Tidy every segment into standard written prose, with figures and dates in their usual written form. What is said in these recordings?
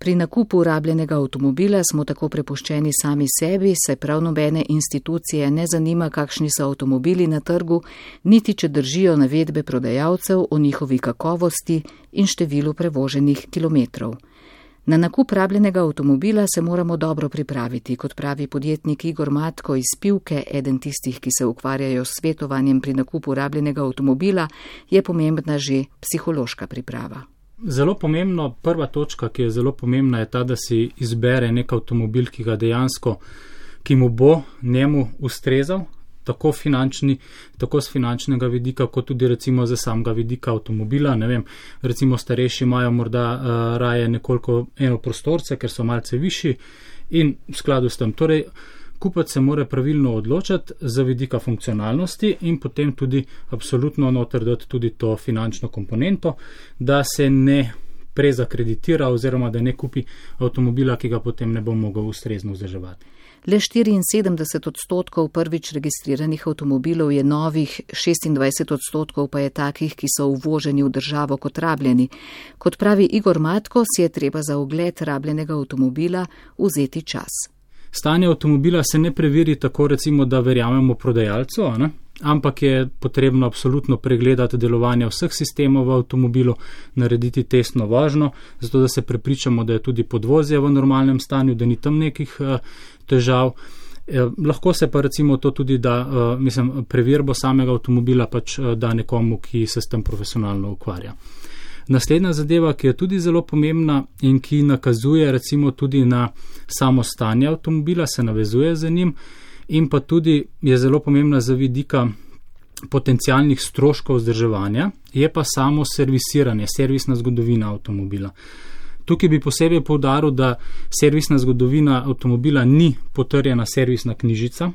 Pri nakupu rabljenega avtomobila smo tako prepuščeni sami sebi, saj prav nobene institucije ne zanima, kakšni so avtomobili na trgu, niti če držijo navedbe prodajalcev o njihovi kakovosti in številu prevoženih kilometrov. Na nakup rabljenega avtomobila se moramo dobro pripraviti, kot pravi podjetnik Igor Matko iz Pivke, eden tistih, ki se ukvarjajo s svetovanjem pri nakupu rabljenega avtomobila, je pomembna že psihološka priprava. Zelo pomembno, prva točka, ki je zelo pomembna, je ta, da si izbere nek avtomobil, ki mu bo njemu ustrezal, tako z finančnega vidika, kot tudi recimo za samega vidika avtomobila. Ne vem, recimo starejši imajo morda raje nekoliko enoprostorce, ker so malce višji in v skladu s tem. Torej, kupac se mora pravilno odločati za vidika funkcionalnosti in potem tudi absolutno noter dati tudi to finančno komponento, da se ne prezakreditira oziroma da ne kupi avtomobila, ki ga potem ne bo mogel ustrezno vzdrževati. Le 74% prvič registriranih avtomobilov je novih, 26% pa je takih, ki so uvoženi v državo kot rabljeni. Kot pravi Igor Matko, si je treba za ogled rabljenega avtomobila vzeti čas. Stanje avtomobila se ne preveri tako, recimo, da verjamemo prodajalcu, ampak je potrebno absolutno pregledati delovanje vseh sistemov v avtomobilu, narediti testno vožnjo, zato da se prepričamo, da je tudi podvozje v normalnem stanju, da ni tam nekih težav. Lahko se pa recimo to tudi da, preverbo samega avtomobila pač da nekomu, ki se s tem profesionalno ukvarja. Naslednja zadeva, ki je tudi zelo pomembna in ki nakazuje recimo tudi na samo stanje avtomobila, se navezuje z njim in pa tudi je zelo pomembna za vidika potencialnih stroškov vzdrževanja, je pa samo servisiranje, servisna zgodovina avtomobila. Tukaj bi posebej poudaril, da servisna zgodovina avtomobila ni potrjena servisna knjižica,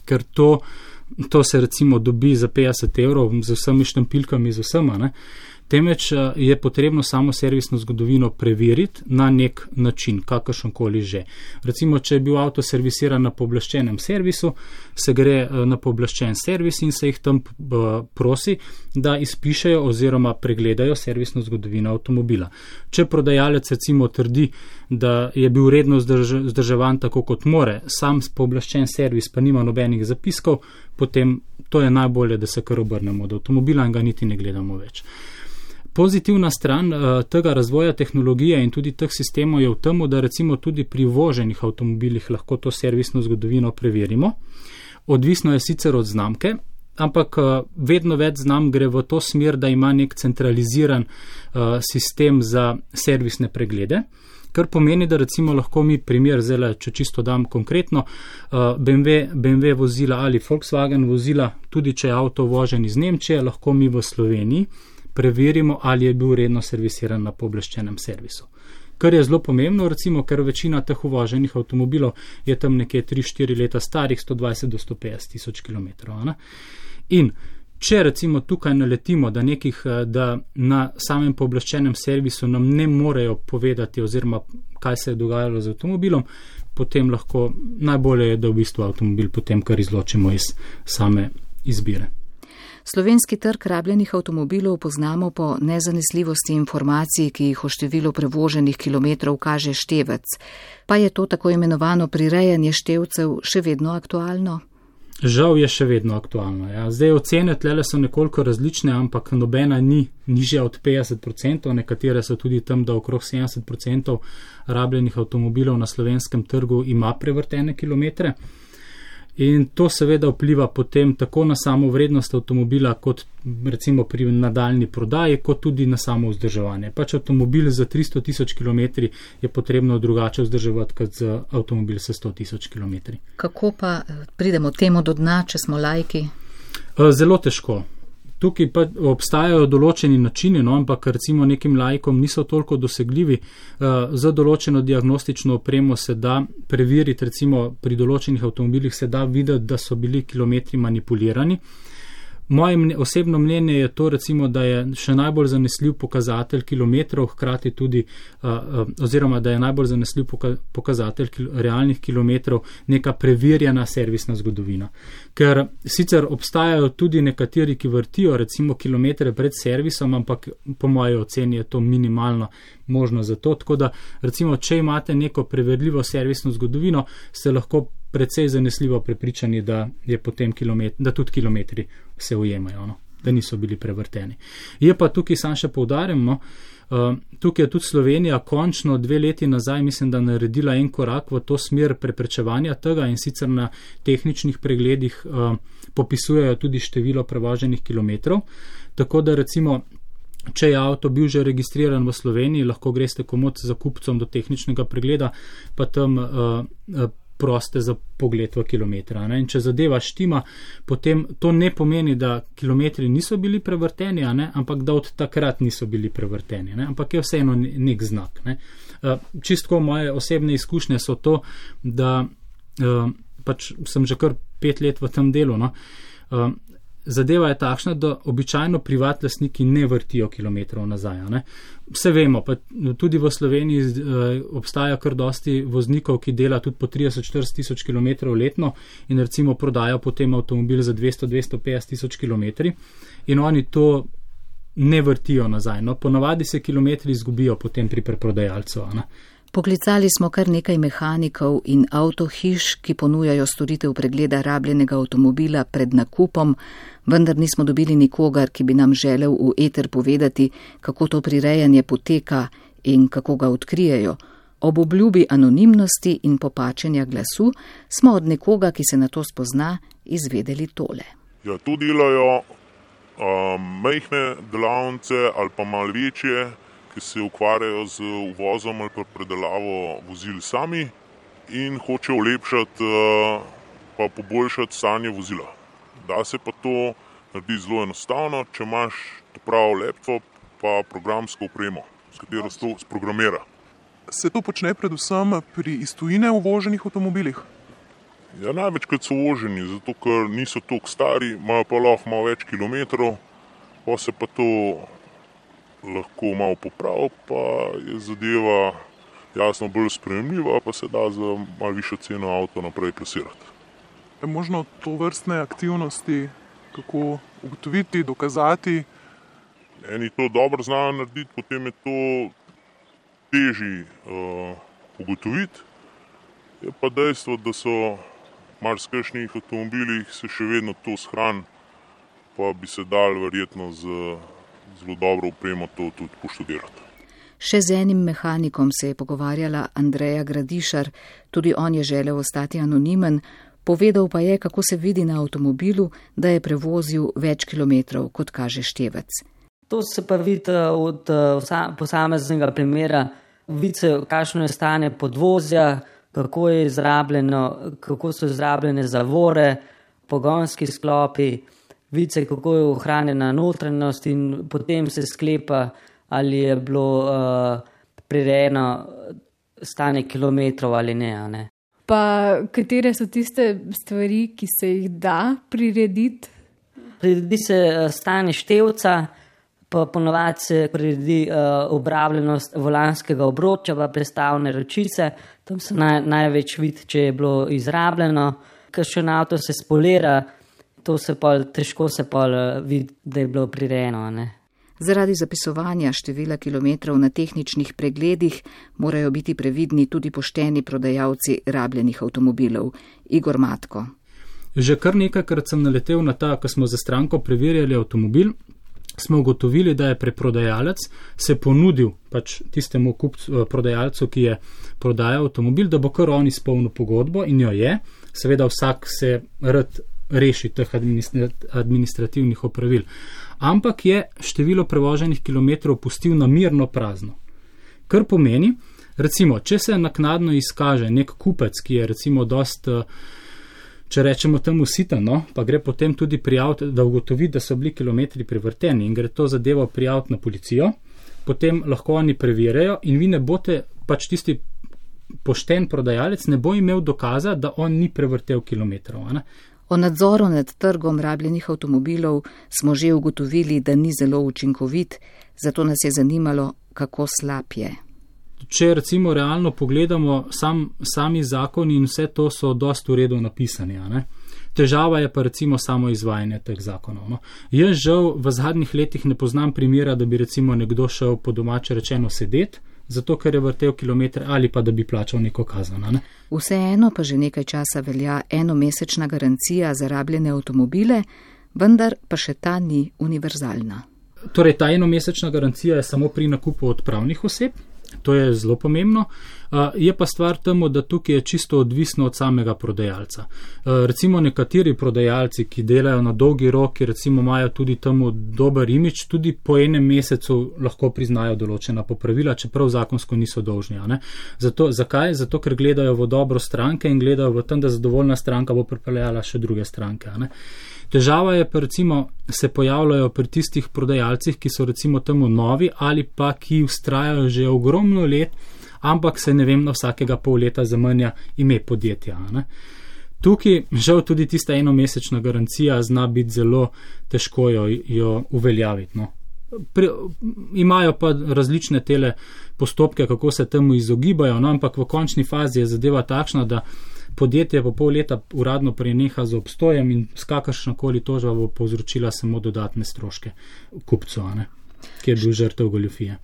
ker to se recimo dobi za 50 € z vsemi štampilkami, z vsema, temveč je potrebno samo servisno zgodovino preveriti na nek način, kakršenkoli že. Recimo, če je bil avto servisiran na pooblaščenem servisu, se gre na pooblaščen servis in se jih tam prosi, da izpišejo oziroma pregledajo servisno zgodovino avtomobila. Če prodajalec recimo trdi, da je bil redno vzdrževan tako kot more, sam pooblaščen servis pa nima nobenih zapiskov, potem to je najbolje, da se kar obrnemo od avtomobila in ga niti ne gledamo več. Pozitivna stran tega razvoja tehnologije in tudi teh sistemov je v tem, da recimo tudi pri voženih avtomobilih lahko to servisno zgodovino preverimo. Odvisno je sicer od znamke, ampak vedno več znamk gre v to smer, da ima nek centraliziran sistem za servisne preglede, kar pomeni, da recimo lahko mi primer, zdaj, če čisto dam konkretno, BMW vozila ali Volkswagen vozila, tudi če je avto vožen iz Nemčije, lahko mi v Sloveniji preverimo, ali je bil redno servisiran na pooblaščenem servisu. Kar je zelo pomembno, recimo, ker večina teh uvoženih avtomobilov je tam nekje 3-4 leta starih, 120 do 150 tisoč kilometrov. In če recimo tukaj naletimo, da na samem pooblaščenem servisu nam ne morejo povedati oziroma kaj se je dogajalo z avtomobilom, potem lahko najbolje je, da v bistvu avtomobil potem kar izločimo iz same izbire. Slovenski trg rabljenih avtomobilov poznamo po nezanesljivosti informacij, ki jih o številu prevoženih kilometrov kaže števec. Pa je to tako imenovano prirejanje števcev še vedno aktualno? Žal je še vedno aktualno. Ja. Zdaj ocene tlele so nekoliko različne, ampak nobena ni nižja od 50%, nekatere so tudi tam, da okrog 70% rabljenih avtomobilov na slovenskem trgu ima prevrtene kilometre. In to seveda vpliva potem tako na samo vrednost avtomobila, kot recimo pri nadaljni prodaji, kot tudi na samo vzdrževanje. Pač avtomobil za 300 tisoč kilometri je potrebno drugače vzdrževati, kot za avtomobil sa 100 tisoč kilometri. Kako pa pridemo temu do dna, če smo laiki? Zelo težko. Tukaj pa obstajajo določeni načini, ampak recimo nekim laikom niso toliko dosegljivi. Za določeno diagnostično opremo se da preveriti, recimo pri določenih avtomobilih se da videti, da so bili kilometri manipulirani. Moje osebno mnenje je to, recimo, da je še najbolj zanesljiv pokazatelj kilometrov, hkrati tudi, oziroma da je najbolj zanesljiv pokazatelj realnih kilometrov neka preverjena servisna zgodovina. Ker sicer obstajajo tudi nekateri, ki vrtijo recimo kilometre pred servisom, ampak po moji oceni je to minimalno možno za to, tako da recimo, če imate neko preverljivo servisno zgodovino, ste lahko precej zanesljivo prepričani, da je potem da tudi kilometri se ujemajo, no? Da niso bili prevrteni. Je pa tukaj sam še poudarjam, no? Tukaj je tudi Slovenija končno 2 leti nazaj, mislim, da naredila en korak v to smer preprečevanja tega in sicer na tehničnih pregledih popisujejo tudi število prevoženih kilometrov, tako da recimo, če je avto bil že registriran v Sloveniji, lahko greste komot za kupcem do tehničnega pregleda, pa tam proste za pogled v kilometra. Ne? In če zadeva štima, potem to ne pomeni, da kilometri niso bili prevrteni, ampak da od takrat niso bili prevrteni. Ne? Ampak je vseeno nek znak. Ne? Čistko moje osebne izkušnje so to, da pač sem že kar 5 let v tem delu. No? Zadeva je takšna, da običajno privat lastniki ne vrtijo kilometrov nazaj. Ne? Vse vemo, pa tudi v Sloveniji obstaja kar dosti voznikov, ki dela tudi po 30-40 tisoč kilometrov letno in recimo prodajo potem avtomobil za 200-250 tisoč kilometri in oni to ne vrtijo nazaj. No? Ponavadi se kilometri izgubijo potem pri preprodajalcu. Ne? Poklicali smo kar nekaj mehanikov in avtohiš, ki ponujajo storitev pregleda rabljenega avtomobila pred nakupom, vendar nismo dobili nikogar, ki bi nam želel v eter povedati, kako to prirejanje poteka in kako ga odkrijejo. Ob obljubi anonimnosti in popačenja glasu smo od nekoga, ki se na to spozna, izvedeli tole. Ja, tu delajo majhne delavnice ali pa malo večje, ki se ukvarjajo z uvozom ali pa predelavo vozil sami in hočejo ulepšati pa poboljšati stanje vozila. Da se pa to naredi zelo enostavno, če imaš prav laptop pa programsko opremo, s katero se to sprogramira. Se to počne predvsem pri iz tujine uvoženih avtomobilih? Ja, največkrat so uvoženi, zato ker niso toliko stari, imajo pa lahko malo več kilometrov, pa se pa to lahko malo popravi, pa je zadeva jasno bolj sprejemljiva, pa se da za malo višjo ceno avto naprej plasirati. Je možno to vrstne aktivnosti kako ugotoviti, dokazati? Eni to dobro znajo narediti, potem je to težje ugotoviti. Je pa dejstvo, da so marsikšnih avtomobilih se še vedno to shrani, pa bi se dal verjetno z zelo dobro opremo to tudi poštudirati. Še z enim mehanikom se je pogovarjala Andreja Gradišar, tudi on je želel ostati anonimen, povedal pa je, kako se vidi na avtomobilu, da je prevozil več kilometrov, kot kaže števec. To se pa vidi od posameznega primera, vidi se, kakšno je stanje podvozja, kako so izrabljene zavore, pogonski sklopi, vidi se, kako je ohranjena notranjost in potem se sklepa, ali je bilo prirejeno stanje kilometrov ali ne. Pa katere so tiste stvari, ki se jih da prirediti? Priredi se stanje števca, pa ponovadi se priredi obrabljenost volanskega obroča, pa prestavne ročice, tam se največ vidi, če je bilo izrabljeno, kakšen avto se spolira, to se težko vidi, da je bilo prirejeno. Ne? Zaradi zapisovanja števila kilometrov na tehničnih pregledih morajo biti previdni tudi pošteni prodajalci rabljenih avtomobilov. Igor Matko. Že kar nekajkrat sem naletel na ta, ko smo za stranko preverjali avtomobil, smo ugotovili, da je preprodajalec se ponudil pač tistemu prodajalcu, ki je prodajal avtomobil, da bo kar on izpolnil pogodbo in jo je. Seveda vsak se rad reši teh administrativnih opravil. Ampak je število prevoženih kilometrov pustil namirno prazno. Kar pomeni, recimo, če se naknadno izkaže nek kupec, ki je recimo dost, če rečemo temu sitano, pa gre potem tudi prijaviti, da ugotovi, da so bili kilometri prevrteni in gre to zadevo prijaviti na policijo, potem lahko oni preverjajo in vi ne boste, pač tisti pošten prodajalec ne bo imel dokaza, da on ni prevrtel kilometrov. O nadzoru nad trgom rabljenih avtomobilov smo že ugotovili, da ni zelo učinkovit, zato nas je zanimalo, kako slab je. Če recimo realno pogledamo, sami zakoni in vse to so dosti v redu napisani. Ne? Težava je pa recimo samo izvajanje teh zakonov. No? Jaz žal v zadnjih letih ne poznam primera, da bi recimo nekdo šel po domače rečeno sedeti, zato ker je vrtel kilometre ali pa da bi plačal neko kazen. Ne? Vseeno pa že nekaj časa velja enomesečna garancija za rabljene avtomobile, vendar pa še ta ni univerzalna. Torej, ta enomesečna garancija je samo pri nakupu od pravnih oseb, to je zelo pomembno. Je pa stvar temu, da tukaj je čisto odvisno od samega prodajalca. Recimo nekateri prodajalci, ki delajo na dolgi rok, ki recimo imajo tudi temu dober imič, tudi po enem mesecu lahko priznajo določena popravila, čeprav zakonsko niso dolžni. Zakaj? Zato, ker gledajo v dobro stranke in gledajo v tem, da zadovoljna stranka bo pripeljala še druge stranke. Težava je pa recimo, se pojavljajo pri tistih prodajalcih, ki so recimo temu novi ali pa ki vztrajajo že ogromno let, ampak se ne vem, na vsakega pol leta zamenja ime podjetja. Tukaj žal tudi tista enomesečna garancija zna biti zelo težko jo uveljaviti. Imajo pa različne tele postopke, kako se temu izogibajo, ampak v končni fazi je zadeva takšna, da podjetje po pol leta uradno preneha z obstojem in s kakršnakoli tožba bo povzročila samo dodatne stroške kupcu, ki je bil žrtev goljufije.